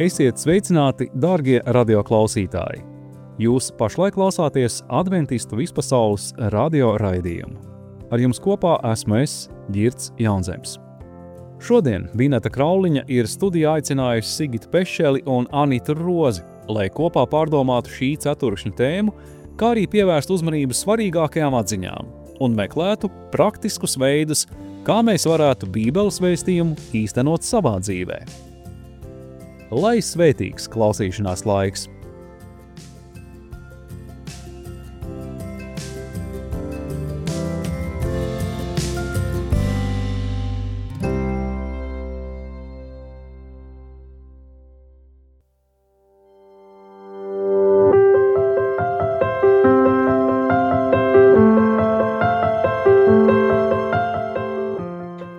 Esiet sveicināti, dārgie radioklausītāji! Jūs pašlaik klausāties Adventistu vispasaules radio raidījumu. Ar jums kopā esmu es, Girts Jaunzems. Šodien Vineta Krauliņa ir studijā aicinājusi Sigitu Pešeli un Anitu Rozi, lai kopā pārdomātu šī ceturkšņa tēmu, kā arī pievērst uzmanību svarīgākajām atziņām un meklētu praktiskus veidus, kā mēs varētu Bībeles vēstījumu īstenot savā dzīvē. Lai svētīgs klausīšanās laiks!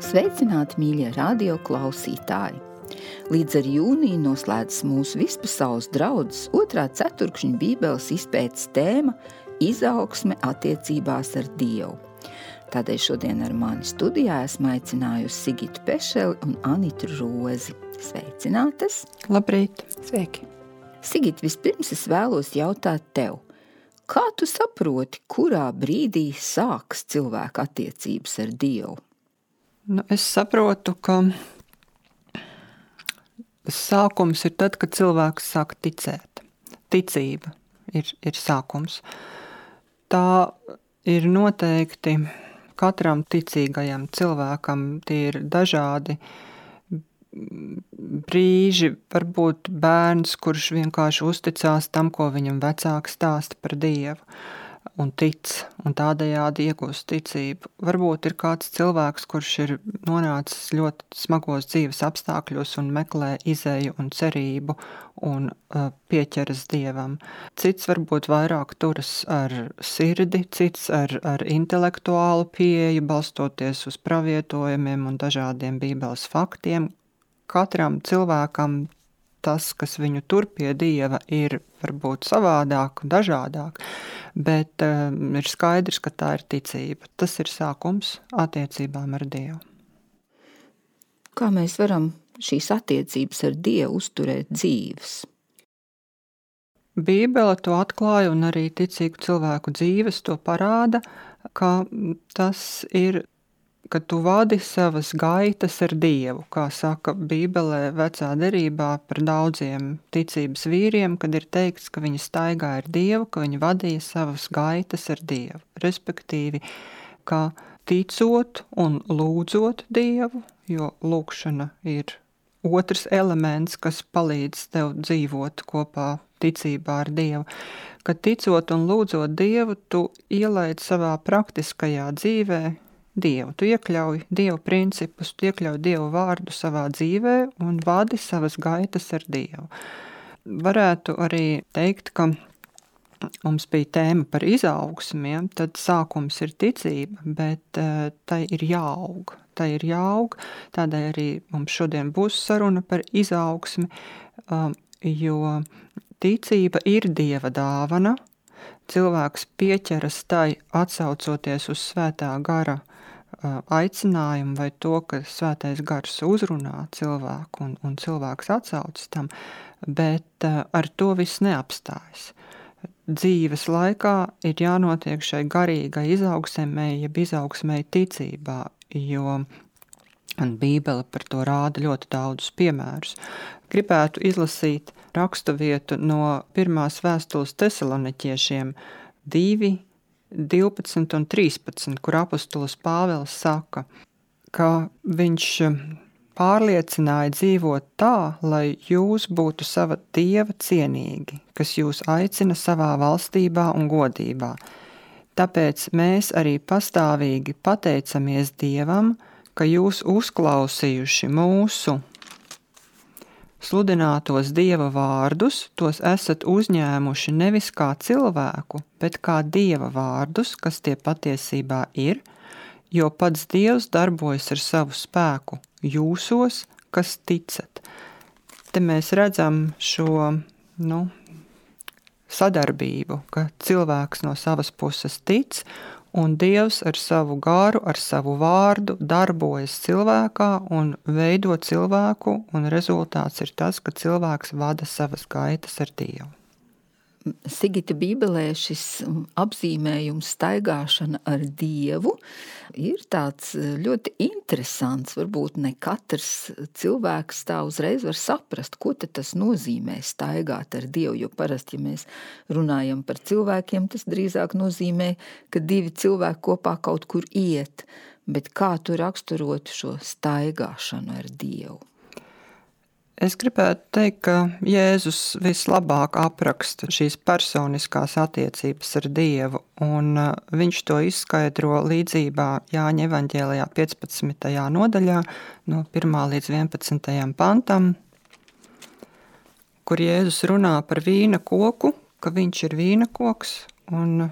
Sveicināti, mīļie radio klausītāji! Līdz ar jūniju noslēdzas mūsu vispasaules draudzes otrā ceturkšņa Bībeles izpētes tēma izaugsme attiecībās ar Dievu. Tādēļ šodien ar mani studijā esmu aicinājusi Sigitu Pešeli un Anitu Rozi. Sveicinātas! Labrīt! Sveiki! Sigit, vispirms es vēlos jautāt tev, kā tu saproti, kurā brīdī sāks cilvēka attiecības ar Dievu? Es saprotu, ka sākums ir tad, kad cilvēks sāk ticēt. Ticība ir sākums. Tā ir noteikti katram ticīgajam cilvēkam. Tie ir dažādi brīži, varbūt bērns, kurš vienkārši uzticās tam, ko viņam vecāki stāsta par Dievu un tic, un tādējādi iegūst ticību. Varbūt ir kāds cilvēks, kurš ir nonācis ļoti smagos dzīves apstākļos un meklē izēju un cerību un pieķeras Dievam. Cits varbūt vairāk turas ar sirdi, cits ar intelektuālu pieeju, balstoties uz pravietojumiem un dažādiem Bībeles faktiem. Katram cilvēkam tas, kas viņu tur pie Dieva, ir varbūt savādāk un dažādāk, bet ir skaidrs, ka tā ir ticība. Tas ir sākums attiecībām ar Dievu. Kā mēs varam šīs attiecības ar Dievu uzturēt dzīves? Bībele to atklāja un arī ticīgu cilvēku dzīves to parāda, ka tas ir, ka tu vadi savas gaitas ar Dievu, kā saka Bībelē vecā derībā par daudziem ticības vīriem, kad ir teikts, ka viņi staigāja ar Dievu, ka viņi vadīja savas gaitas ar Dievu. Respektīvi, ka ticot un lūdzot Dievu, jo lūkšana ir otrs elements, kas palīdz tev dzīvot kopā ticībā ar Dievu, ka ticot un lūdzot Dievu, tu ielaid savā praktiskajā dzīvē Dievu. Tu iekļauj Dievu principus, tu iekļauj Dievu vārdu savā dzīvē un vadi savas gaitas ar Dievu. Varētu arī teikt, ka mums bija tēma par izaugsmiem, tad sākums ir ticība, bet tai ir jāaug. Tai ir jāaug, tādēļ arī mums šodien būs saruna par izaugsmi, jo ticība ir Dieva dāvana. Cilvēks pieķeras tai atsaucoties uz svētā gara aicinājumu vai to, ka svētais gars uzrunā cilvēku un cilvēks atsaucas tam, bet ar to viss neapstājas. Dzīves laikā ir jānotiek šai garīgai izaugsmei, jeb izaugsmei ticībā, jo Bībele par to rāda ļoti daudzus piemērus. Gribētu izlasīt raksturvietu no pirmās vēstules Tesaloniķiešiem 2, 12 un 13, kur apostols Pāvils saka, ka viņš pārliecināja dzīvot tā, lai jūs būtu sava Dieva cienīgi, kas jūs aicina savā valstībā un godībā. Tāpēc mēs arī pastāvīgi pateicamies Dievam, ka jūs uzklausījuši mūsu sludinātos Dieva vārdus, tos esat uzņēmuši nevis kā cilvēku, bet kā Dieva vārdus, kas tie patiesībā ir, jo pats Dievs darbojas ar savu spēku jūsos, kas ticat. Te mēs redzam šo, sadarbību, ka cilvēks no savas puses tic, un Dievs ar savu garu, ar savu vārdu darbojas cilvēkā un veido cilvēku, un rezultāts ir tas, ka cilvēks vada savas gaitas ar Dievu. Sigita, Bībelē šis apzīmējums staigāšana ar Dievu ir tāds ļoti interesants. Varbūt ne katrs cilvēks tā uzreiz var saprast, ko tad tas nozīmē staigāt ar Dievu, jo parasti, ja mēs runājam par cilvēkiem, tas drīzāk nozīmē, ka divi cilvēki kopā kaut kur iet, bet kā tu raksturotu šo staigāšanu ar Dievu? Es gribētu teikt, ka Jēzus vislabāk apraksta šīs personiskās attiecības ar Dievu, un viņš to izskaidro līdzībā Jāņa evaņģēlijā 15. nodaļā no 1. līdz 11. pantam, kur Jēzus runā par vīna koku, ka viņš ir vīna koks, un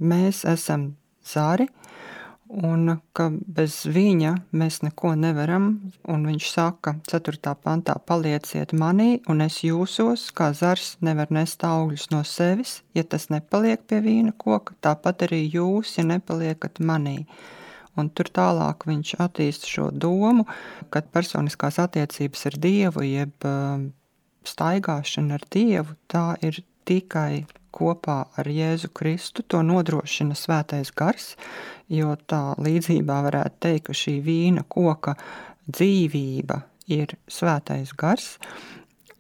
mēs esam zari, un ka bez viņa mēs neko nevaram, un viņš saka 4. pantā, palieciet manī, un es jūsos, kā zars nevar nest augļus no sevis, ja tas nepaliek pie vīna koka, tāpat arī jūs, ja nepaliekat manī. Un tur tālāk viņš attīsta šo domu, ka personiskās attiecības ar Dievu, jeb staigāšana ar Dievu, tā ir tikai kopā ar Jēzu Kristu, to nodrošina Svētais Gars, jo tā līdzībā varētu teikt, ka šī vīna koka dzīvība ir Svētais Gars,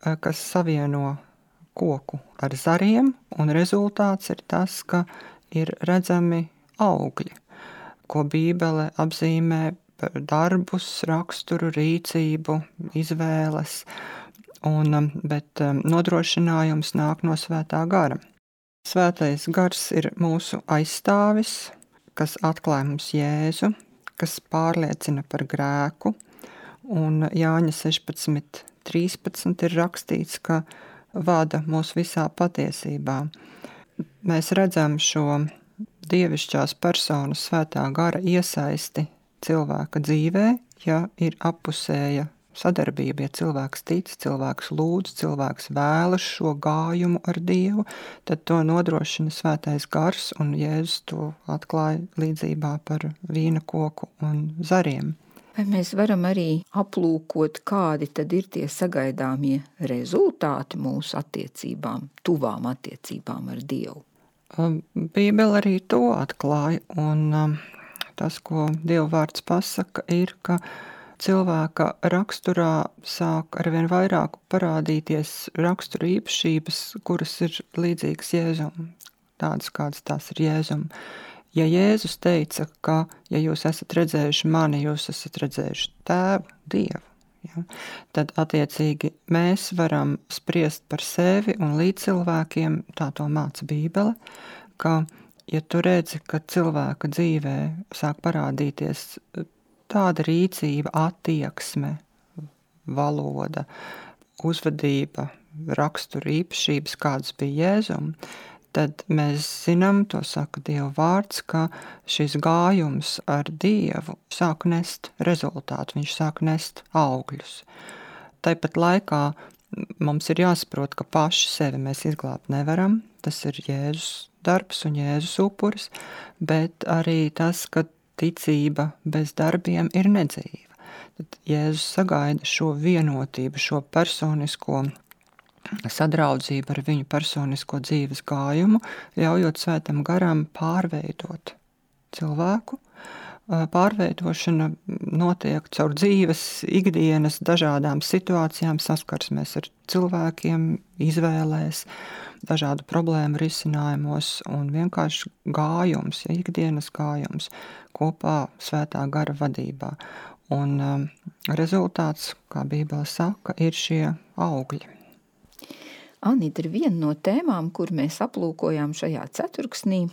kas savieno koku ar zariem, un rezultāts ir tas, ka ir redzami augļi, ko Bībele apzīmē par darbus, raksturu, rīcību, izvēles, bet nodrošinājums nāk no Svētā Gara. Svētais Gars ir mūsu aizstāvis, kas atklāj mums Jēzu, kas pārliecina par grēku, un Jāņa 16.13 ir rakstīts, ka vada mūs visā patiesībā. Mēs redzam šo dievišķās personas Svētā Gara iesaisti cilvēka dzīvē, ja ir appusēja sadarbība, ja cilvēks tic, cilvēks lūdz, cilvēks vēlas šo gājumu ar Dievu, tad to nodrošina Svētais Gars, un Jēzus to atklāja līdzībā par vīna koku un zariem. Vai mēs varam arī aplūkot, kādi tad ir tie sagaidāmie rezultāti mūsu attiecībām, tuvām attiecībām ar Dievu? Bībele arī to atklāja, un tas, ko Dieva vārds pasaka, ir, ka cilvēka raksturā sāk arvien vairāk parādīties rakstura īpašības, kuras ir līdzīgas Jēzum, tādas, kādas tās ir Jēzum. Ja Jēzus teica, ka, ja jūs esat redzējuši mani, jūs esat redzējuši Tēvu, Dievu, ja, tad attiecīgi mēs varam spriest par sevi un līdz cilvēkiem, tā to māca Bībele, ka, ja tu redzi, ka cilvēka dzīvē sāk parādīties tāda rīcība, attieksme, valoda, uzvedība, rakstura īpašības, kādas bija Jēzum, tad mēs zinām, to saka Dieva vārds, ka šis gājums ar Dievu sāk nest rezultātu, viņš sāk nest augļus. Tāpat laikā mums ir jāsaprot, ka paši sevi mēs izglābt nevaram, tas ir Jēzus darbs un Jēzus upuris, bet arī tas, ka ticība bez darbiem ir nedzīva. Tad Jēzus sagaida šo vienotību, šo personisko sadraudzību ar viņu personisko dzīves gājumu, ļaujot Svētam Garam pārveidot cilvēku. Pārveidošana notiek caur dzīves, ikdienas dažādām situācijām, saskarsmēs ar cilvēkiem, izvēlēs, dažādu problēmu risinājumos un vienkārši gājums, ja ikdienas gājums kopā Svētā Gara vadībā. Un rezultāts, kā Bībele saka, ir šie augļi. Anita, viena no tēmām, kur mēs aplūkojām šajā ceturksnī,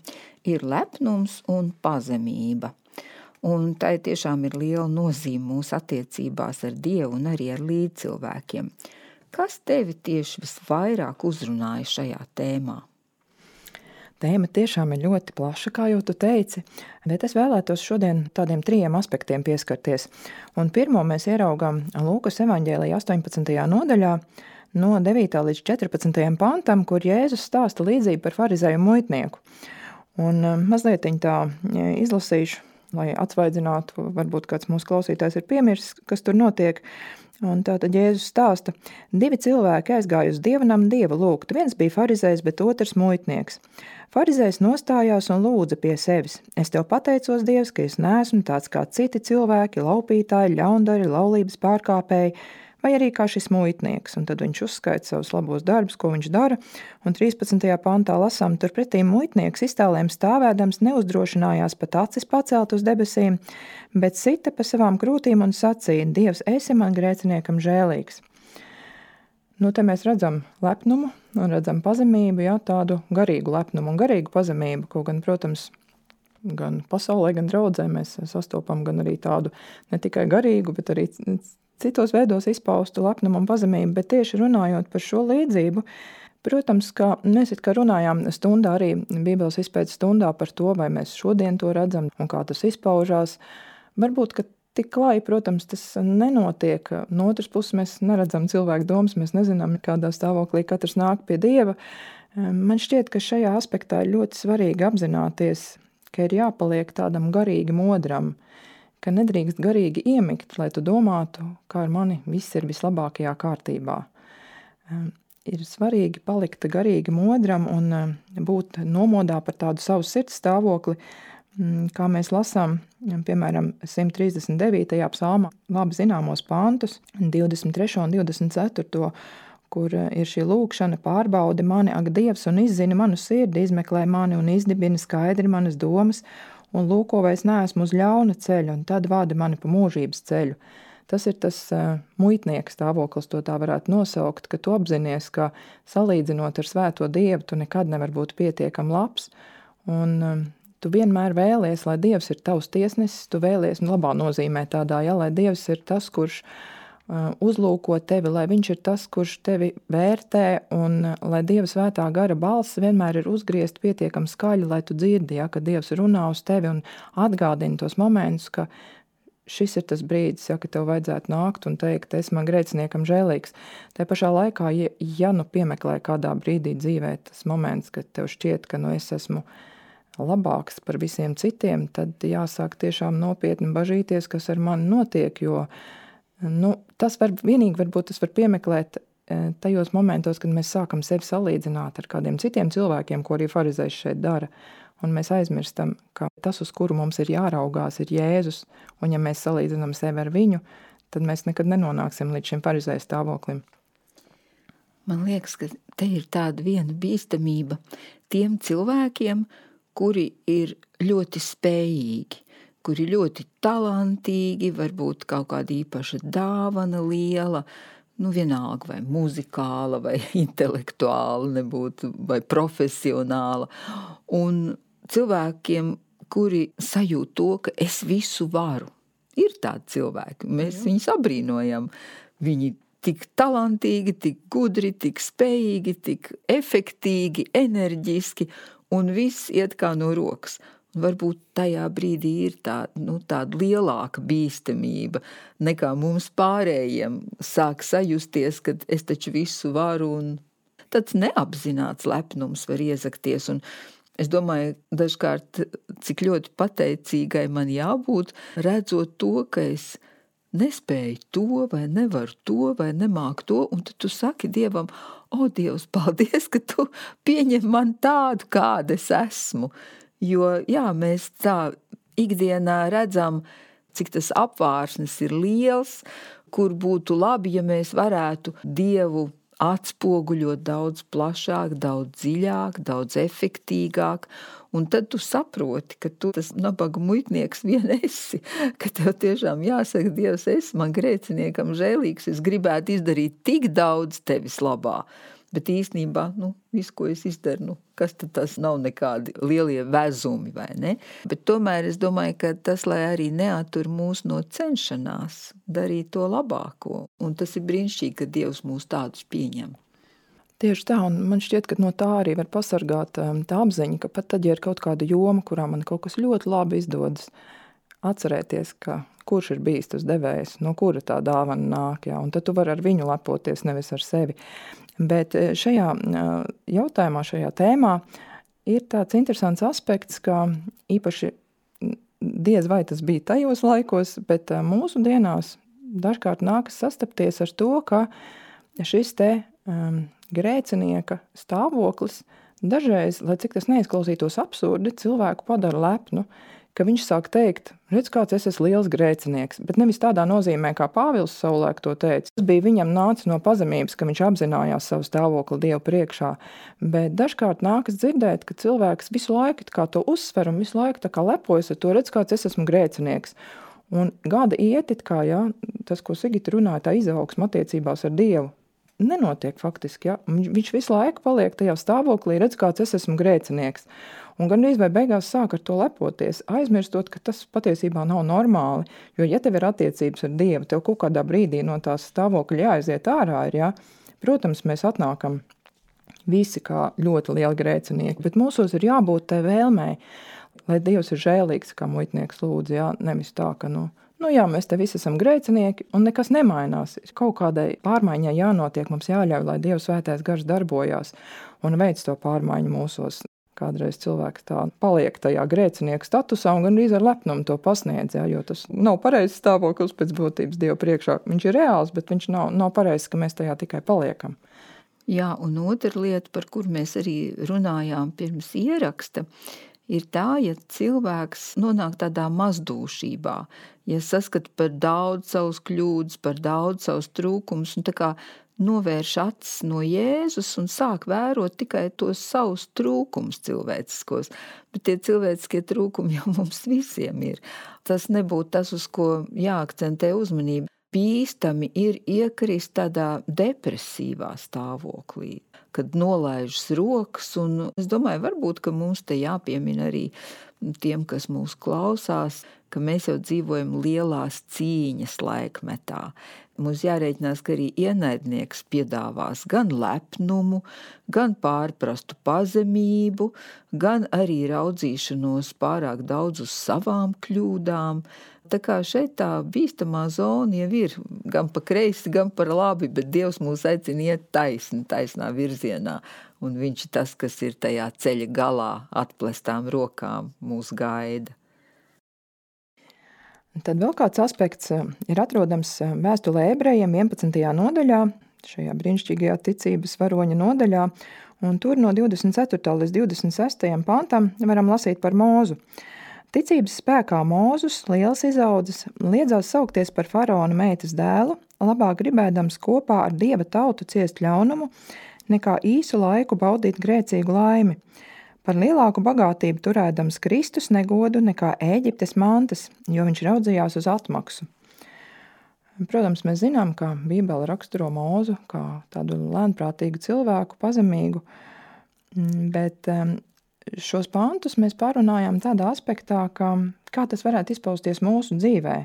ir lepnums un pazemība. Un tai tiešām ir liela nozīme mūsu attiecībās ar Dievu un arī ar līdzcilvēkiem. Kas tevi tieši visvairāk uzrunāja šajā tēmā? Tēma tiešām ir ļoti plaša, kā jau tu teici, bet es vēlētos šodien tādiem 3 aspektiem pieskarties. Un pirmo mēs ieraugām Lūkas evaņģēlijā 18. nodaļā no 9. līdz 14. pantam, kur Jēzus stāsta līdzību par farizēju un muitnieku. Un mazliet tā izlasīšu, lai atsvaidzinātu, varbūt kāds mūsu klausītājs ir piemirsis, kas tur notiek. Un tātad Jēzus stāsta, 2 cilvēki aizgāja uz dievnamu Dievu lūgt. Viens bija farizējs, bet otrs muitnieks. Farizējs nostājās un lūdza pie sevis. Es tev pateicos, Dievs, ka es neesmu tāds kā citi cilvēki, laupītāji, ļaundari, laulības pārkāpēji, vai arī kā šis muitnieks. Un tad viņš uzskaita savus labos darbus, ko viņš dara. Un 13. pantā lasām, turpretī muitnieks iztālēm stāvēdams neuzdrošinājās pat acis pacelt uz debesīm, bet sita pa savām krūtīm un sacīja, Dievs, esi man grēciniekam žēlīgs. Nu, te mēs redzam lepnumu un redzam pazemību, jā, tādu garīgu lepnumu un garīgu pazemību, ko gan, protams, gan pasaulē, gan draudzē mēs sastopam gan arī tādu ne tikai garīgu, bet arī citos veidos izpaustu lepnumu un pazemību, bet tieši runājot par šo līdzību, protams, ka mēs it kā runājām stundā arī Bībeles izpētes stundā par to, vai mēs šodien to redzam un kā tas izpaužās. Varbūt, ka tik klāji, protams, tas nenotiek. No otras puses mēs neredzam cilvēku domas, mēs nezinām, kādā stāvoklī katrs nāk pie Dieva. Man šķiet, ka šajā aspektā ir ļoti svarīgi apzināties, ka ir jāpaliek tādam garīgi modram, ka nedrīkst garīgi iemigt, lai tu domātu, kā ar mani viss ir vislabākajā kārtībā. Ir svarīgi palikt garīgi modram un būt nomodā par tādu savu sirds stāvokli, kā mēs lasām, piemēram, 139. psalmā, labi zināmos pantus, 23. un 24. kur ir šī lūkšana, pārbaudi mani, ak Dievs, un izzini manu sirdi, izmeklē mani un izdibini skaidri manas domas, un lūko, vai es neesmu uz ļauna ceļa, un tad vādi mani pa mūžības ceļu. Tas ir tas muitnieka stāvoklis, to tā varētu nosaukt, ka tu apzinies, ka salīdzinot ar svēto Dievu, tu nekad nevar būt pietiekam labs, un tu vienmēr vēlies, lai Dievs ir tavs tiesnesis, tu vēlies, labā nozīmē tādā, ja, lai Dievs ir tas, kurš uzlūko tevi, lai viņš ir tas, kurš tevi vērtē, un lai Dieva svētā gara balss vienmēr ir uzgriezt pietiekami skaļi, lai tu dzirdi, ja, ka Dievs runā uz tevi un atgādina tos momentus, ka šis ir tas brīdis, ja, ka tev vajadzētu nākt un teikt, es man grēciniekam žēlīgs. Tā pašā laikā, ja nu piemeklē kādā brīdī dzīvē tas moments, kad tev šķiet, ka es esmu labāks par visiem citiem, tad jāsāk tiešām nopietni bažīties, kas ar mani notiek, jo tas varbūt tas var piemeklēt tajos momentos, kad mēs sākam sevi salīdzināt ar kādiem citiem cilvēkiem, ko arī farizējs šeit dara. Un mēs aizmirstam, ka tas, uz kuru mums ir jāraugās, ir Jēzus, un ja mēs salīdzinām sevi ar viņu, tad mēs nekad nenonāksim līdz šim farizēja stāvoklim. Man liekas, ka te ir tāda viena bīstamība tiem cilvēkiem, kuri ir ļoti spējīgi, kuri ļoti talantīgi, varbūt kaut kāda īpaša dāvana liela, vienalga vai muzikāla, vai intelektuāla nebūtu, vai profesionāla. Un cilvēkiem, kuri sajūt to, ka es visu varu. Ir tādi cilvēki, mēs viņus abrīnojam. Viņi tik talantīgi, tik gudri, tik spējīgi, tik efektīgi, enerģiski, un viss iet kā no rokas. Varbūt tajā brīdī ir tāda lielāka bīstamība nekā mums pārējiem sāk sajusties, kad es taču visu varu, un tāds neapzināts lepnums var iezakties. Un es domāju, dažkārt, cik ļoti pateicīgai man jābūt, redzot to, ka es nespēju to, vai nevaru to, vai nemāku to, un tad tu saki Dievam, Dievs, paldies, ka tu pieņem man tādu, kāda es esmu. Jo, mēs tā ikdienā redzam, cik tas apvārsnes ir liels, kur būtu labi, ja mēs varētu Dievu atspoguļot daudz plašāk, daudz dziļāk, daudz efektīgāk, un tad tu saproti, ka tu tas nabaga muitnieks vien esi, ka tev tiešām jāsaka, Dievs, esi man grēciniekam žēlīgs, es gribētu izdarīt tik daudz tevis labā. Bet īstenībā, visu, ko es izdaru, kas tad tas nav nekādi lielie vezumi, vai ne? Bet tomēr es domāju, ka tas, lai arī neatur mūs no cenšanās, darīt to labāko. Un tas ir brīnišķīgi, ka Dievs mūs tādus pieņem. Tieši tā, un man šķiet, ka no tā arī var pasargāt tā apziņa, ka pat tad, ja ir kaut kāda joma, kurā man kaut kas ļoti labi izdodas, atcerēties, ka kurš ir bijis tas devējs, no kura tā dāvana nāk, jā, un tad tu vari ar viņu lepoties, nevis ar sevi. Bet šajā jautājumā, šajā tēmā ir tāds interesants aspekts, ka īpaši diez vai tas bija tajos laikos, bet mūsu dienās dažkārt nākas sastapties ar to, ka šis te grēcinieka stāvoklis dažreiz, lai cik tas neizklausītos absurdi, cilvēku padara lepnu, ka viņš sāk teikt, redz, kāds es esmu liels grēcinieks, bet nevis tādā nozīmē, kā Pāvils savulaik to teica. Tas bija viņam nācis no pazemības, ka viņš apzinājās savu stāvokli Dievu priekšā, bet dažkārt nākas dzirdēt, ka cilvēks visu laiku kā to uzsver un visu laiku tā kā lepojas ar to, redz, kāds es esmu grēcinieks. Un gada iet, kā, jā, tas, ko Sigita runāja, tā izaugsme attiecībās ar Dievu, nenotiek faktiski, jā. Viņš visu laiku paliek tajā stāvoklī, redz, kāds es esmu grēcinieks. Un gandrīz vai beigās sāk ar to lepoties, aizmirstot, ka tas patiesībā nav normāli, jo ja tev ir attiecības ar Dievu, tev kaut kādā brīdī no tās stāvokļa jāaiziet ārā ir, jā. Protams, mēs atnākam visi kā ļoti lieli grēcinieki, bet mūsos ir jābūt tai vēlmei, lai Dievs ir žēlīgs, kā muitnieks lūdz, jā, nevis tā, ka, nu jā, mēs te visi esam grēcinieki un nekas nemainās. Kaut kādai pārmaiņai jānotiek, mums jāļauj, lai Dieva svētais gars darbojās un veic to pārmaiņu mūsos. Kādreiz cilvēks tā paliek tajā grēcinieku statusā un gandrīz ar lepnumu to pasniedz, jā, jo tas nav pareizs stāvoklis pēc būtības Dieva priekšā. Viņš ir reāls, bet viņš nav pareizs, ka mēs tajā tikai paliekam. Jā, un otra lieta, par kur mēs arī runājām pirms ieraksta, ir tā, ja cilvēks nonāk tādā mazdūšībā, ja saskat par daudz savus kļūdas, par daudz savus trūkumus, un tā kā novērš acis no Jēzus un sāk vērot tikai tos savus trūkumus cilvēciskos. Bet tie cilvēciskie trūkumi jau mums visiem ir. Tas nebūtu tas, uz ko jāakcentē uzmanība. Bīstami ir iekrist tādā depresīvā stāvoklī, kad nolaižas rokas, un es domāju, varbūt, ka mums te jāpiemina arī tiem, kas mūs klausās, ka mēs jau dzīvojam lielās cīņas laikmetā. Mums jārēķinās, ka arī ienaidnieks piedāvās gan lepnumu, gan pārprastu pazemību, gan arī raudzīšanos pārāk daudz uz savām kļūdām. Tā kā šeit tā bīstamā zona jau ir gan pa kreisi, gan par labi, bet Dievs mūs aicina iet taisnā virzienā. Un viņš ir tas, kas ir tajā ceļa galā atplestām rokām mūs gaida. Tad vēl kāds aspekts ir atrodams vēstulē Ebrejiem 11. nodaļā, šajā brīnišķīgajā ticības varoņa nodaļā, un tur no 24. līdz 26. pantam varam lasīt par Mūzu. Ticības spēkā Mūzus, liels izaudzis, liedzās saukties par faraona meitas dēlu, labāk gribēdams kopā ar Dieva tautu ciest ļaunumu, nekā īsu laiku baudīt grēcīgu laimi. Par lielāku bagātību turēdams Kristus negodu nekā Ēģiptes mantas, jo viņš raudzījās uz atmaksu. Protams, mēs zinām, ka Bībele raksturo Mūzu kā tādu lēnprātīgu cilvēku, pazemīgu, bet šos pantus mēs pārunājām tādā aspektā, ka kā tas varētu izpausties mūsu dzīvē,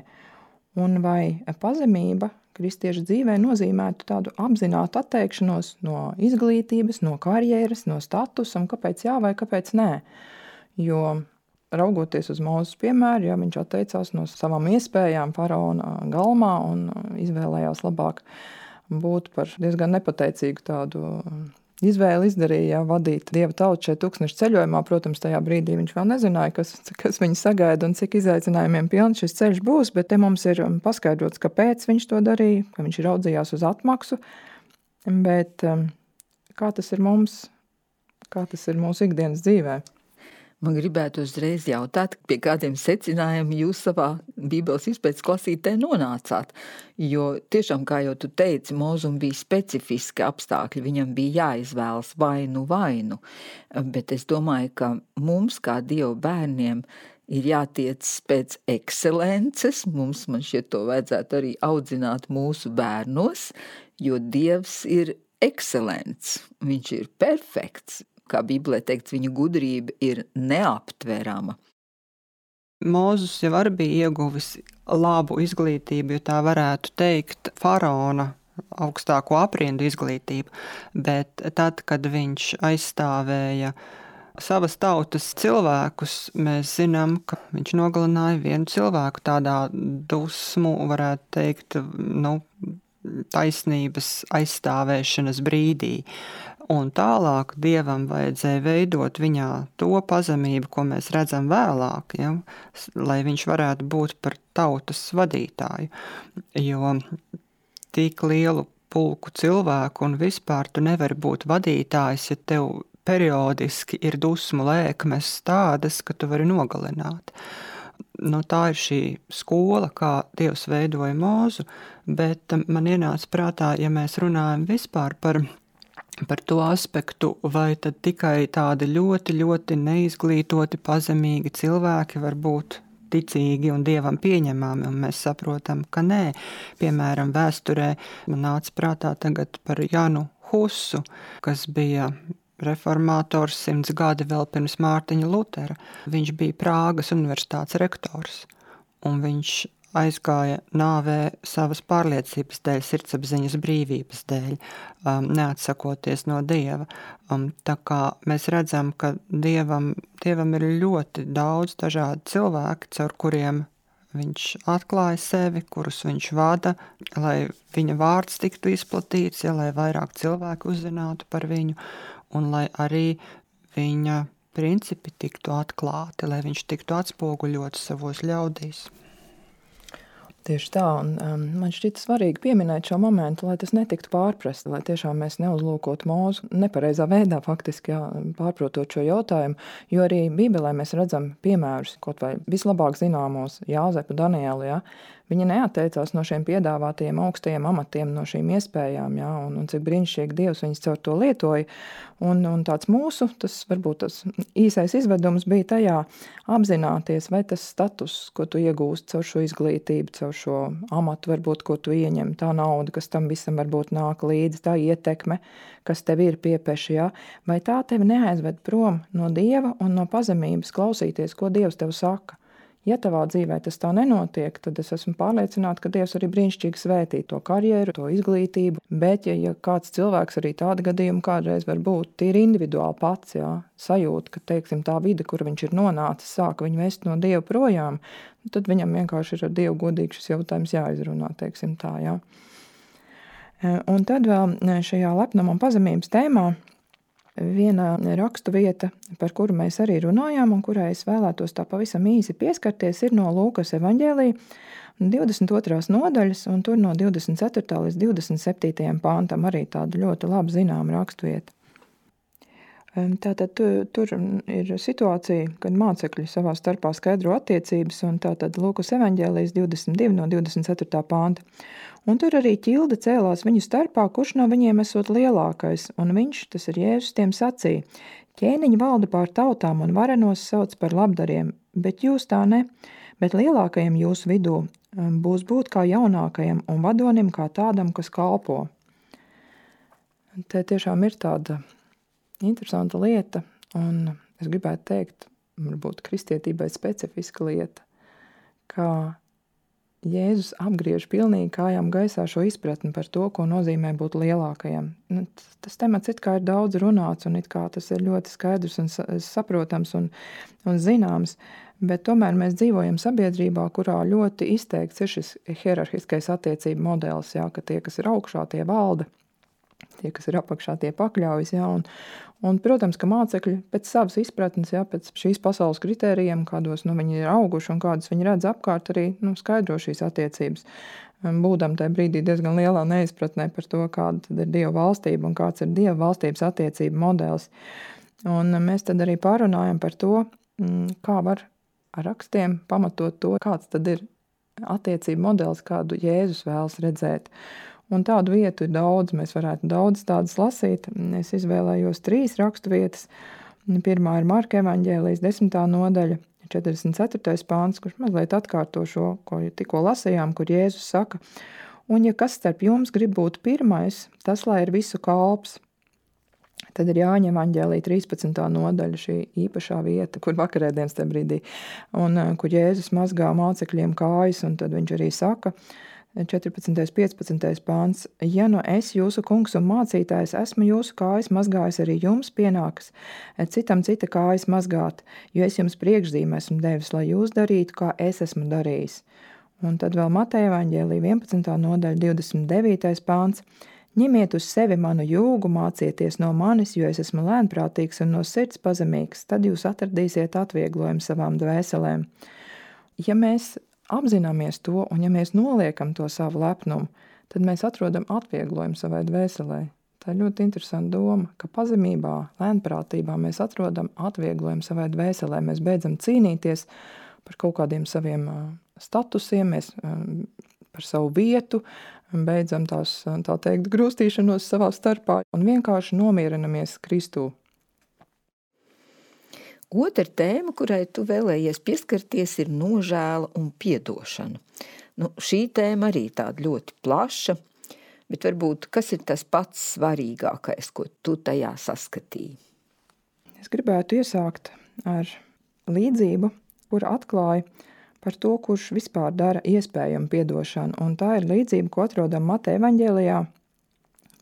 un vai pazemība kristiešu dzīvē nozīmētu tādu apzinātu atteikšanos no izglītības, no karjeras, no statusa, un kāpēc jā vai kāpēc nē. Jo raugoties uz Mūzes piemēru, ja viņš atteicās no savām iespējām faraona galmā un izvēlējās labāk būt par diezgan nepateicīgu tādu izvēli izdarīja, vadīt Dieva tautu šeit tūkstneša ceļojumā. Protams, tajā brīdī viņš vēl nezināja, kas viņu sagaida un cik izaicinājumiem pilns šis ceļš būs, bet te mums ir paskaidrots, kāpēc viņš to darīja, ka viņš raudzījās uz atmaksu, bet kā tas ir mums, kā tas ir mūsu ikdienas dzīvē? Man gribētu uzreiz jautāt, pie kādiem secinājumiem jūs savā Bībeles izpētes klasītē nonācāt, jo tiešām, kā jau tu teici, Mūzum bija specifiski apstākļi, viņam bija jāizvēlas vainu, bet es domāju, ka mums, kā Dieva bērniem, ir jātiec pēc ekscelences, man šķiet to vajadzētu arī audzināt mūsu bērnos, jo Dievs ir ekscelents, viņš ir perfekts. Kā Bībelē teikts, viņa gudrība ir neaptverama. Mūzus jau arī bija ieguvis labu izglītību, jo tā varētu teikt faraona augstāko aprindu izglītību, bet tad, kad viņš aizstāvēja savas tautas cilvēkus. Mēs zinām, ka viņš nogalināja vienu cilvēku tādā dusmu, varētu teikt, taisnības aizstāvēšanas brīdī. Un tālāk Dievam vajadzēja veidot viņā to pazemību, ko mēs redzam vēlāk, ja? Lai viņš varētu būt par tautas vadītāju. Jo tik lielu pulku cilvēku un vispār tu nevari būt vadītājs, ja tev periodiski ir dusmu lēkmes tādas, ka tu vari nogalināt. Tā ir šī skola, kā Dievs veidoja Mūzu, bet man ienāca prātā, ja mēs runājam vispār par to aspektu, vai tad tikai tādi ļoti, ļoti neizglītoti, pazemīgi cilvēki var būt ticīgi un Dievam pieņemami, un mēs saprotam, ka nē. Piemēram, vēsturē man nāca prātā tagad par Janu Husu, kas bija reformātors 100 gadi vēl pirms Mārtiņa Lutera. Viņš bija Prāgas universitātes rektors, un viņš aizgāja nāvē savas pārliecības dēļ, sirdsapziņas brīvības dēļ, neatsakoties no Dieva. Tā kā mēs redzam, ka Dievam ir ļoti daudz dažādu cilvēku, caur kuriem viņš atklāja sevi, kurus viņš vada, lai viņa vārds tiktu izplatīts, lai vairāk cilvēku uzzinātu par viņu, un lai arī viņa principi tiktu atklāti, lai viņš tiktu atspoguļots savos ļaudīs. Tieši tā, un man šķita svarīgi pieminēt šo momentu, lai tas netiktu pārprasts, lai tiešām mēs neuzlūkotu Mūzu nepareizā veidā faktiski, pārprotot šo jautājumu, jo arī Bībelē mēs redzam piemērus, kaut vai vislabāk zināmos Jāzepu, Danielu, Viņi neatteicās no šiem piedāvātajiem augstajiem amatiem, no šīm iespējām, un cik brīnišķīgi Dievs viņus caur to lietoja. Un tāds mūsu, tas varbūt tas īsais izvedums bija tajā apzināties, vai tas status, ko tu iegūst caur šo izglītību, caur šo amatu, varbūt, ko tu ieņem, tā nauda, kas tam visam varbūt nāk līdzi, tā ietekme, kas tev ir piepeši, vai tā tevi neaizved prom no Dieva un no pazemības klausīties, ko Dievs tev saka. Ja tavā dzīvē tas tā nenotiek, tad es esmu pārliecināta, ka Dievs arī brīnišķīgi svētī to karjeru, to izglītību, bet ja kāds cilvēks arī tāda gadījuma kādreiz var būt, tīri individuāli pats, sajūt, ka, teiksim, tā vide, kur viņš ir nonācis, sāka viņu vest no Dieva projām, tad viņam vienkārši ir ar Dievu godīgi šis jautājums jāizrunā, teiksim tā, Un tad vēl šajā lepnuma un pazemības tēmā viena rakstu vieta, par kuru mēs arī runājām un kurai es vēlētos tā pavisam īsi pieskarties, ir no Lūkas evaņģēlija 22. nodaļas, un tur no 24. līdz 27. pāntam arī tāda ļoti labi zināma rakstu vieta. Tātad tur ir situācija, kad mācekļi savā starpā skaidro attiecības, un tātad Lūkas evaņģēlijas 22 no 24. pānta. Un tur arī ķilde cēlās viņu starpā, kurš no viņiem esot lielākais, un viņš, tas ir Jēzus, tiem sacīja: ķēniņi valda pār tautām un varenos sauc par labdariem, bet jūs tā ne, bet lielākajam jūsu vidū būs būt kā jaunākajam un vadonim kā tādam, kas kalpo. Te tiešām ir tāda interesanta lieta, un es gribētu teikt, varbūt kristietībai specifiska lieta, ka Jēzus apgriež pilnīgi kājām gaisā šo izpratni par to, ko nozīmē būt lielākajam. Tas temats it kā ir daudz runāts, un it kā tas ir ļoti skaidrs un saprotams un zināms, bet tomēr mēs dzīvojam sabiedrībā, kurā ļoti izteikts ir šis hierarhiskais attiecību modelis, ka tie, kas ir augšā, tie valda, tie, kas ir apakšā, tie pakļaujas, un, protams, ka mācekļi pēc savas izpratnes, pēc šīs pasaules kritērijiem, kādos viņi ir auguši un kādas viņi redz apkārt, arī skaidro šīs attiecības. Būdam tajā brīdī diezgan lielā neizpratnē par to, kāda tad ir Dieva valstība un kāds ir Dieva valstības attiecību modelis. Un mēs tad arī pārunājam par to, kā var ar rakstiem pamatot to, kāds tad ir attiecību modelis, kādu Jēzus vēlas redzēt. Un tādu vietu ir daudz, mēs varētu daudz tādas lasīt. Es izvēlējos 3 rakstu vietas. Pirmā ir Marka evaņģēlijas 10. nodaļa, 44. pāns, kurš mazliet atkārto šo, ko tikko lasījām, kur Jēzus saka: un ja kas starp jums grib būt pirmais, tas lai ir visu kalps. Tad ir Jāņa evaņģēlija 13. nodaļa, šī īpašā vieta, kur vakarēdienas tajā brīdī, un kur Jēzus mazgā mācekļiem kājas, un tad viņš arī saka: 14. 15. pāns. Ja nu es, jūsu kungs un mācītājs, esmu jūsu kājas mazgājis, arī jums pienākas citam cita kājas mazgāt, jo es jums priekšzīmē esmu devis, lai jūs darītu, kā es esmu darījis. Un tad vēl Mateja evaņģēlija 11. nodaļa 29. pāns. Ņemiet uz sevi manu jūgu, mācieties no manis, jo es esmu lēnprātīgs un no sirds pazemīgs, tad jūs atradīsiet atvieglojumu savām dvēselēm. Ja mēs apzināmies to, un ja mēs noliekam to savu lepnumu, tad mēs atrodam atvieglojumu savai dvēselē. Tā ir ļoti interesanta doma, ka pazemībā, lēnprātībā mēs atrodam atvieglojumu savai dvēselē. Mēs beidzam cīnīties par kaut kādiem saviem statusiem, mēs par savu vietu, beidzam tā teikt, grūstīšanos savā starpā un vienkārši nomierinamies Kristū. Otra tēma, kurai tu vēlējies pieskarties, ir nožēla un piedošana. Šī tēma arī tāda ļoti plaša, bet varbūt kas ir tas pats svarīgākais, ko tu tajā saskatīji? Es gribētu iesākt ar līdzību, kur atklāja par to, kurš vispār dara iespējamu piedošanu, un tā ir līdzība, ko atrodam Mateja evaņģēlijā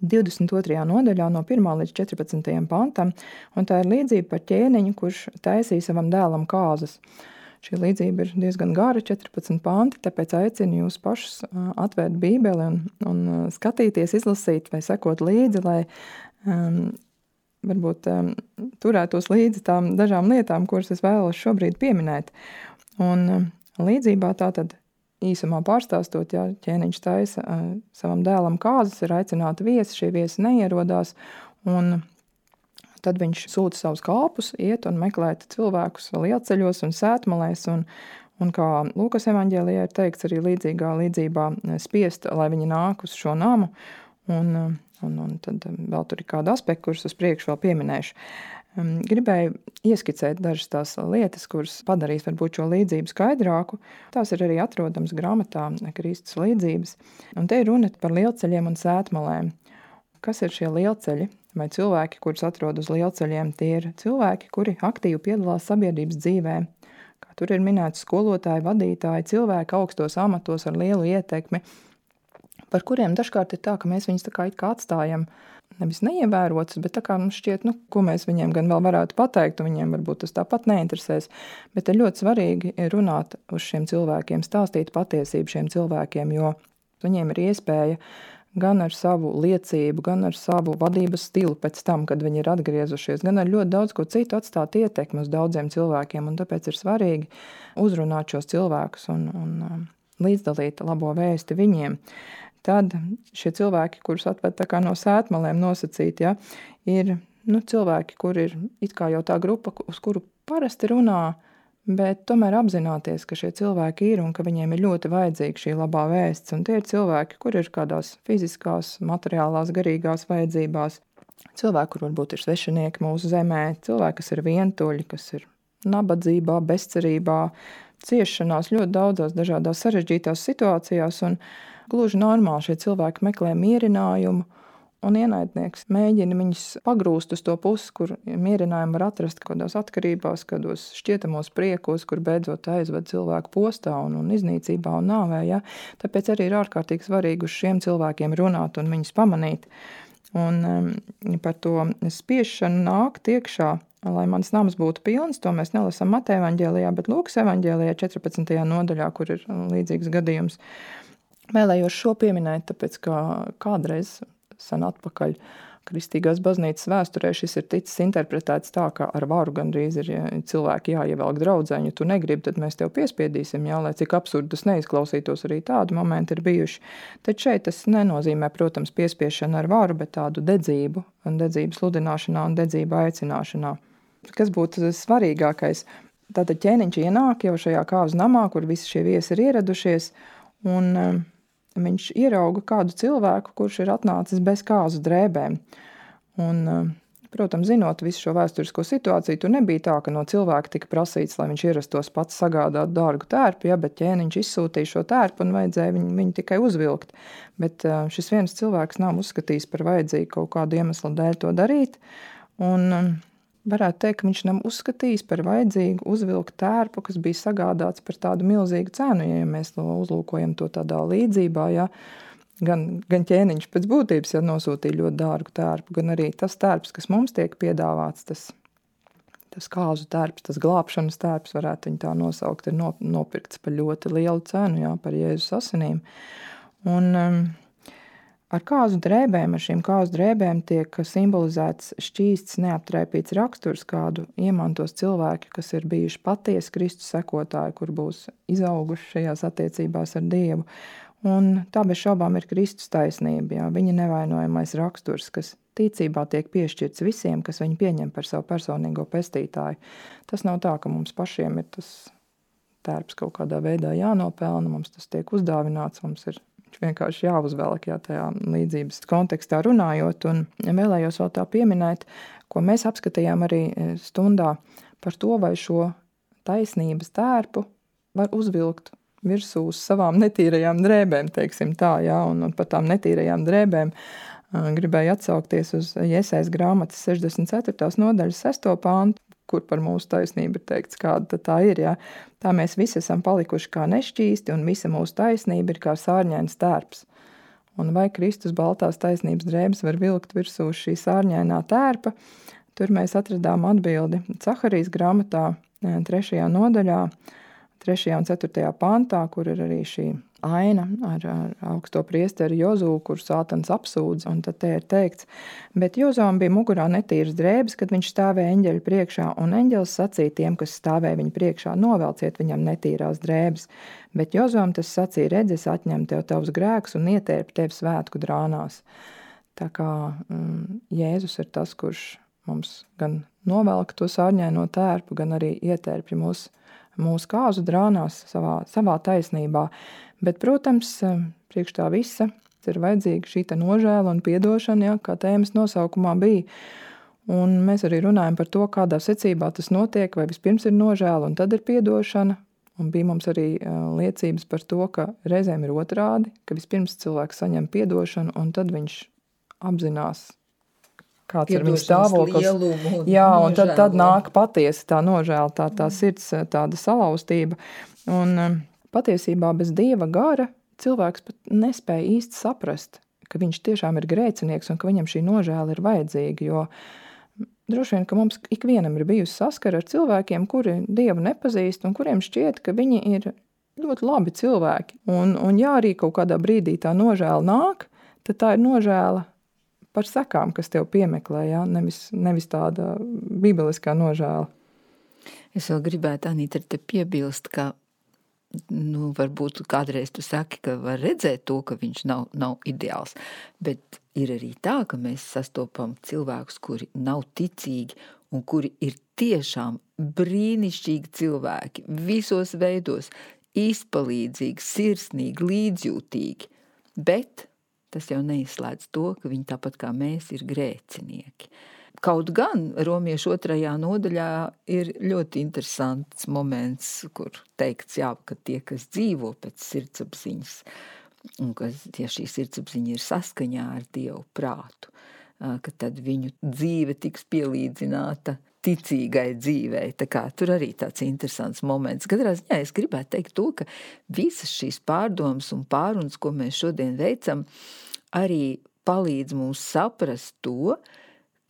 22. nodaļā no 1. līdz 14. pantam, un tā ir līdzība par ķēniņu, kurš taisīja savam dēlam kāzas. Šī līdzība ir diezgan gara, 14 panti, tāpēc aicinu jūs pašus atvērt Bībeli un skatīties, izlasīt vai sekot līdzi, lai varbūt turētos līdzi tām dažām lietām, kuras es vēlos šobrīd pieminēt. Un līdzībā tātad īsumā pārstāstot, ja ķēniņš taisa savam dēlam kāzas, ir aicināti viesi, šie viesi neierodās, un tad viņš sūta savus kalpus, iet un meklēt cilvēkus lielceļos un sētmalēs, un kā Lūkas evaņģēlijā ir teikts arī līdzīgā līdzībā spiest, lai viņi nāk uz šo namu, un tad vēl tur ir kāda aspekta, kurus uz priekšu vēl pieminēšu. Gribēju ieskicēt dažas tās lietas, kuras padarīs varbūt šo līdzību skaidrāku. Tās ir arī atrodams grāmatā Kristus līdzības. Un te ir runa par lielceļiem un sētmalēm. Kas ir šie lielceļi? Vai cilvēki, kurus atrod uz lielceļiem, tie ir cilvēki, kuri aktīvi piedalās sabiedrības dzīvē. Kā tur ir minēts skolotāji, vadītāji, cilvēki augstos amatos ar lielu ietekmi, par kuriem dažkārt ir tā, ka mēs viņus tā kā atstājam nevis neievērotas, bet tā kā mums šķiet, ko mēs viņiem gan vēl varētu pateikt, un viņiem varbūt tas tāpat neinteresēs, bet ir ļoti svarīgi runāt uz šiem cilvēkiem, stāstīt patiesību šiem cilvēkiem, jo viņiem ir iespēja gan ar savu liecību, gan ar savu vadības stilu pēc tam, kad viņi ir atgriezušies, gan ar ļoti daudz ko citu atstāt ietekmi uz daudziem cilvēkiem, un tāpēc ir svarīgi uzrunāt šos cilvēkus un līdzdalīt labo vēsti viņiem. Tad šie cilvēki, kurus atved tā kā no sētmalēm nosacīt, ja, ir cilvēki, kur ir it kā jau tā grupa, uz kuru parasti runā, bet tomēr apzināties, ka šie cilvēki ir un ka viņiem ir ļoti vajadzīga šī labā vēsts. Un tie ir cilvēki, kur ir kādās fiziskās, materiālās, garīgās vajadzībās. Cilvēki, kur varbūt ir svešinieki mūsu zemē, cilvēki, kas ir vientuļi, kas ir nabadzībā, bezcerībā, ciešanās ļoti daudzās dažādās sarežģītās situācijās, un gluži normāli šie cilvēki meklē mierinājumu, un ienaidnieks mēģina viņus pagrūst uz to pusi, kur mierinājumu var atrast kādās atkarībās, kādos šķietamos priekos, kur beidzot aizved cilvēku postā un iznīcībā un nāvē. Ja? Tāpēc arī ir ārkārtīgi svarīgi uz šiem cilvēkiem runāt un viņus pamanīt. Un par to spiešanu nākt iekšā, lai mans nams būtu pilns, to mēs nelasām Mateja evaņģēlijā, bet Lūkas evaņģēlijā 14. nodaļā, kur ir līdzīgs gadījums. Vēlējos šo pieminēt, tāpēc, ka kādreiz sen atpakaļ Kristīgās baznīcas vēsturē šis ir ticis interpretēts tā, ka ar varu gandrīz ir cilvēki jāievelk draudzēņu, ja tu negribi, tad mēs tev piespiedīsim, jā, lai cik absurdi tas neizklausītos, arī tādi momenti ir bijuši. Tad šeit tas nenozīmē, protams, piespiešanu ar varu, bet tādu dedzību, un dedzības sludināšanā un dedzību aicināšanā. Kas būtu svarīgākais? Tātad ķēniņš ienāk jau šajā kāzu namā, kur visi šie viesi ir ieradušies, un viņš ierauga kādu cilvēku, kurš ir atnācis bez kāzu drēbēm. Un, protams, zinot visu šo vēsturisko situāciju, tur nebija tā, ka no cilvēka tika prasīts, lai viņš ierastos pats sagādāt dārgu tērpu, ja, bet ķēniņš izsūtīja šo tērpu un vajadzēja viņu tikai uzvilkt. Bet šis viens cilvēks nav uzskatījis par vajadzīgu kaut kādu iemeslu dēļ to darīt. Un varētu teikt, ka viņš nav uzskatījis par vajadzīgu uzvilkt tērpu, kas bija sagādāts par tādu milzīgu cenu, ja mēs uzlūkojam to tādā līdzībā, ja, gan ķēniņš pēc būtības, ja nosūtīja ļoti dārgu tērpu, gan arī tas tērps, kas mums tiek piedāvāts, tas kāzu tērps, tas glābšanas tērps, varētu viņu tā nosaukt, ir nopirkts par ļoti lielu cenu, jā, par Jēzus asinīm. Un ar kāzu drēbēm, ar šīm kāzu drēbēm tiek simbolizēts šķīsts, neaptraipīts raksturs, kādu iemantos cilvēki, kas ir bijuši patiesi Kristus sekotāji, kur būs izauguši šajās attiecībās ar Dievu. Un tā bez šaubām ir Kristus taisnība, jā, viņa nevainojamais raksturs, kas ticībā tiek piešķirts visiem, kas viņu pieņem par savu personīgo pestītāju. Tas nav tā, ka mums pašiem ir tas tērps kaut kādā veidā jānopelna, mums tas tiek uzdāvināts, mums ir vienkārši jāuzvelk, jā, tajā līdzības kontekstā runājot, un vēlējos vēl tā pieminēt, ko mēs apskatījām arī stundā par to, vai šo taisnības tērpu var uzvilkt virsū uz savām netīrajām drēbēm, teiksim tā, jā, un par tām netīrajām drēbēm gribēju atsaukties uz Jesajas grāmatas 64. nodaļas 6. pāntu, kur par mūsu taisnību ir teikts, kāda tā ir, jā. Tā mēs visi esam palikuši kā nešķīsti, un visa mūsu taisnība ir kā sārņains tērps. Un vai Kristus baltās taisnības drēbes var vilkt virsū šī sārņainā tērpa? Tur mēs atradām atbildi Caharijas grāmatā 3. nodaļā, 3. un 4. pantā, kur ir arī šī aina ar augsto priesteri Jozū, kur Sātans apsūdz, un tad te ir teikts, bet Jozām bija mugurā netīras drēbes, kad viņš stāvēja eņģeļu priekšā, un eņģelis sacīja tiem, kas stāvēja viņa priekšā, novelciet viņam netīrās drēbes, bet Jozām tas sacīja, redz, es atņem tev tavus grēkus un ietērpu tevi svētku drānās. Tā kā Jēzus ir tas, kurš mums gan novelk to sārņaino tērpu, gan arī ietērpja mūsu kāzu drānās savā taisnībā. Bet, protams, priekš tā visa ir vajadzīga šī nožēla un piedošana, ja, kā tēmas nosaukumā bija. Un mēs arī runājam par to, kādā secībā tas notiek, vai vispirms ir nožēla un tad ir piedošana. Un bija mums arī liecības par to, ka reizēm ir otrādi, ka vispirms cilvēks saņem piedošanu un tad viņš apzinās, kāds ir viņa stāvoklis. Jā, un tad nāk patiesi tā nožēla, tā sirds, tāda salauztība. Un patiesībā bez Dieva gara cilvēks pat nespēja īsti saprast, ka viņš tiešām ir grēcinieks un ka viņam šī nožēla ir vajadzīga, jo droši vien, ka mums ikvienam ir bijusi saskara ar cilvēkiem, kuri Dievu nepazīst un kuriem šķiet, ka viņi ir ļoti labi cilvēki. Un ja arī kaut kādā brīdī tā nožēla nāk, tad tā ir nožēla par sekām, kas tev piemeklē, ja? Nevis tāda bībeliskā nožēla. Es vēl gribētu, Anīta, te piebilst, ka varbūt kādreiz tu saki, ka var redzēt to, ka viņš nav ideāls, bet ir arī tā, ka mēs sastopam cilvēkus, kuri nav ticīgi un kuri ir tiešām brīnišķīgi cilvēki, visos veidos, izpalīdzīgi, sirsnīgi, līdzjūtīgi, bet tas jau neizslēdz to, ka viņi tāpat kā mēs ir grēcinieki. Kaut gan Romiešu 2. nodaļā ir ļoti interesants moments, kur teikts, jā, ka tie, kas dzīvo pēc sirdsapziņas, un ka ja šī sirdsapziņa ir saskaņā ar Dievu prātu, ka tad viņu dzīve tiks pielīdzināta ticīgai dzīvei. Tā kā tur arī tāds interesants moments. Katrā ziņā es gribētu teikt to, ka visas šīs pārdomas un pārunas, ko mēs šodien veicam, arī palīdz mums saprast to,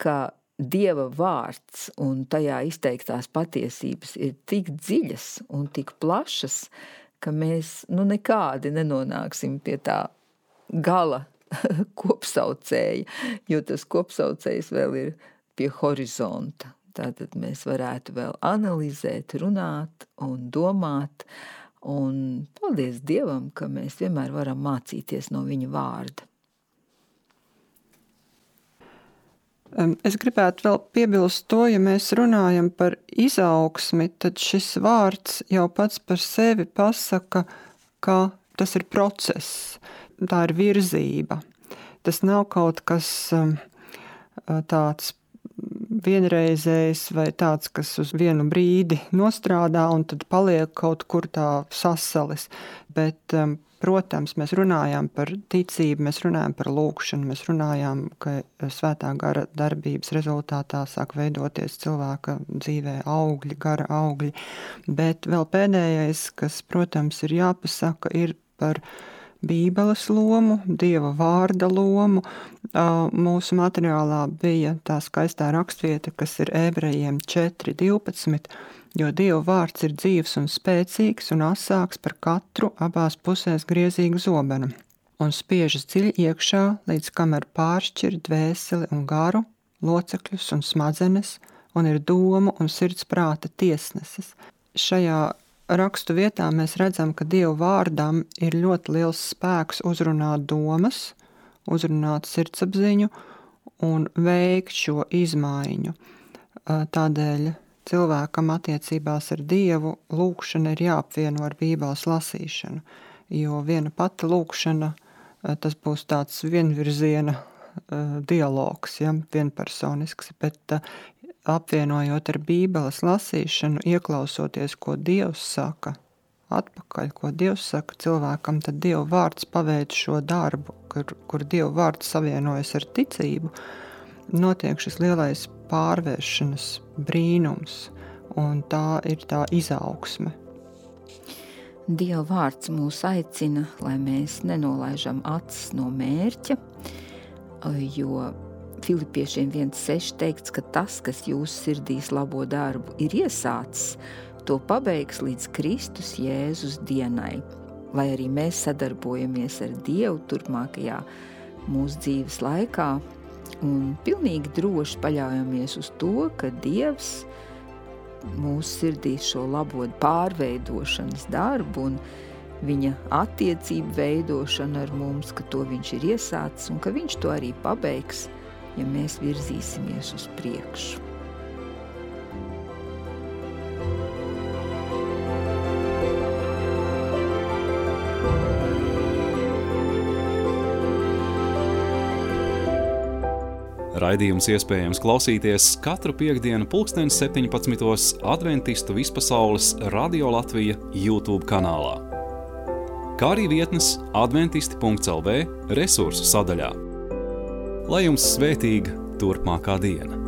ka Dieva vārds un tajā izteiktās patiesības ir tik dziļas un tik plašas, ka mēs nekādi nenonāksim pie tā gala kopsaucēja, jo tas kopsaucējs vēl ir pie horizonta. Tātad mēs varētu vēl analizēt, runāt un domāt, un paldies Dievam, ka mēs vienmēr varam mācīties no viņa vārda. Es gribētu vēl piebilst to, ja mēs runājam par izaugsmi, tad šis vārds jau pats par sevi pasaka, ka tas ir process, tā ir virzība. Tas nav kaut kas tāds vienreizējs vai tāds, kas uz vienu brīdi nostrādā un tad paliek kaut kur tā sasalis. Bet protams, mēs runājām par ticību, mēs runājām par lūkšanu, mēs runājām, ka svētā gara darbības rezultātā sāk veidoties cilvēka dzīvē augļi, gara augļi, bet vēl pēdējais, kas, protams, ir jāpasaka, ir par Bībeles lomu, Dieva vārda lomu. Mūsu materiālā bija tā skaistā rakstvieta, kas ir Ebrejiem 4:12, jo Dieva vārds ir dzīvs un spēcīgs un asāks par katru abās pusēs griezīgu zobenu, un spiežas dziļi iekšā, līdz kamēr pāršķir dvēseli un garu, locekļus un smadzenes, un ir domu un sirds prāta tiesneses. Šajā rakstu vietā mēs redzam, ka Dieva vārdam ir ļoti liels spēks uzrunāt domas, uzrunāt sirdsapziņu un veikt šo izmaiņu. Tādēļ cilvēkam attiecībās ar Dievu lūkšana ir jāapvieno ar Bībeles lasīšanu, jo viena pati lūkšana, tas būs tāds vienvirziena dialogs, ja, vienpersonisks, bet apvienojot ar Bībeles lasīšanu, ieklausoties, ko Dievs saka atpakaļ, ko Dievs saka cilvēkam, tad Dieva vārds paveic šo darbu, kur Dieva vārds savienojas ar ticību, notiek šis lielais pārvēršanas brīnums, un tā ir tā izaugsme. Dieva vārds mūs aicina, lai mēs nenolaižam acis no mērķa, jo Filipiešiem 1:6 teikts, ka tas, kas jūsu sirdīs labo darbu ir iesācis, to pabeigs līdz Kristus Jēzus dienai. Lai arī mēs sadarbojamies ar Dievu turpmākajā mūsu dzīves laikā un pilnīgi droši paļaujamies uz to, ka Dievs mūsu sirdīs šo labo pārveidošanas darbu un viņa attiecību veidošanu ar mums, ka to viņš ir iesācis un ka viņš to arī pabeigs, ja mēs virzīsimies uz priekšu. Raidījums iespējams klausīties katru piektdienu 17:00 Adventistu vispasaules Radio Latvija YouTube kanālā, kā arī vietnes adventisti.lv resursu sadaļā. Lai jums svētīga turpmākā diena!